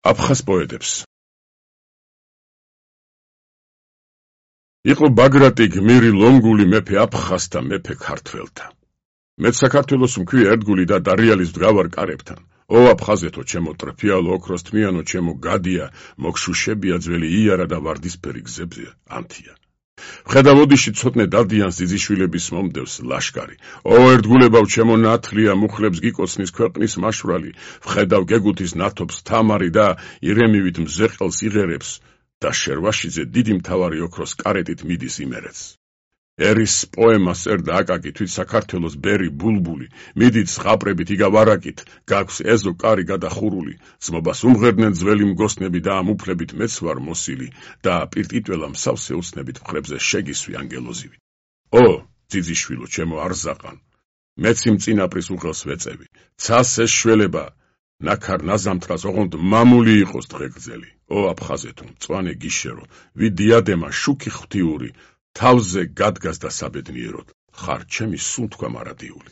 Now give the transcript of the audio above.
აფხაზ პოეტებს. იყო ბაგრატი გმირი ლონგული მეფე აფხაზთა მეფე ქართველთა. მეც საქართველოს მქვია ერთგული და დარიალის ვდგავარ კარებთან. ო აფხაზეთო, ჩემო ტრფიალო ოქროს თმიანო, ჩემო გადია, მოგშუშებია ძველი იარა და ვარდისფერი გზებზე ანთია. ვხედავ ოდიში ცოტნე დადიანს ძიძიშვილების მომდევს ლაშკარი. ო ერთგულებავ, ჩემო ნათლია, მუხლებს გიკოცნის ქვეყნის მაშვალი. ვხედავ გეგუთის ნათობს თამარი და ირემივით მზეყელს იღერებს და შერვაშიძე დიდი მთავარი ოქროს კარეტით მიდის იმერეთს. ერის პოემას წერდა აკაკი თვით საქართველოს ბერი ბულბული. მიდით ზღაპრებით იგავ არაკით, გაქვს ეზო კარი გადახურული. ძმობას უმღერდნენ ძველი მგოსნები და ამ უფლებით მეც ვარ მოსილი და პირტიტველა მსავსე უცნებით მხრებზე შეგისვი ანგელოზივით. ო ძიძიშვილო, ჩემო არზაყან, მეც იმ წინაპრის უხელს ვეწევი. ცას ეს შველება ნაქარ ნაზამთრას ოღონდ მამული იყოს დღეგრძელი. ო აფხაზეთო, მწვანე გიშერო, ვიდიადემა შუქი ღვთიური, თავზე გადგას და საბედნიეროდ, ხარ ჩემი სუნთქვა მარადიული.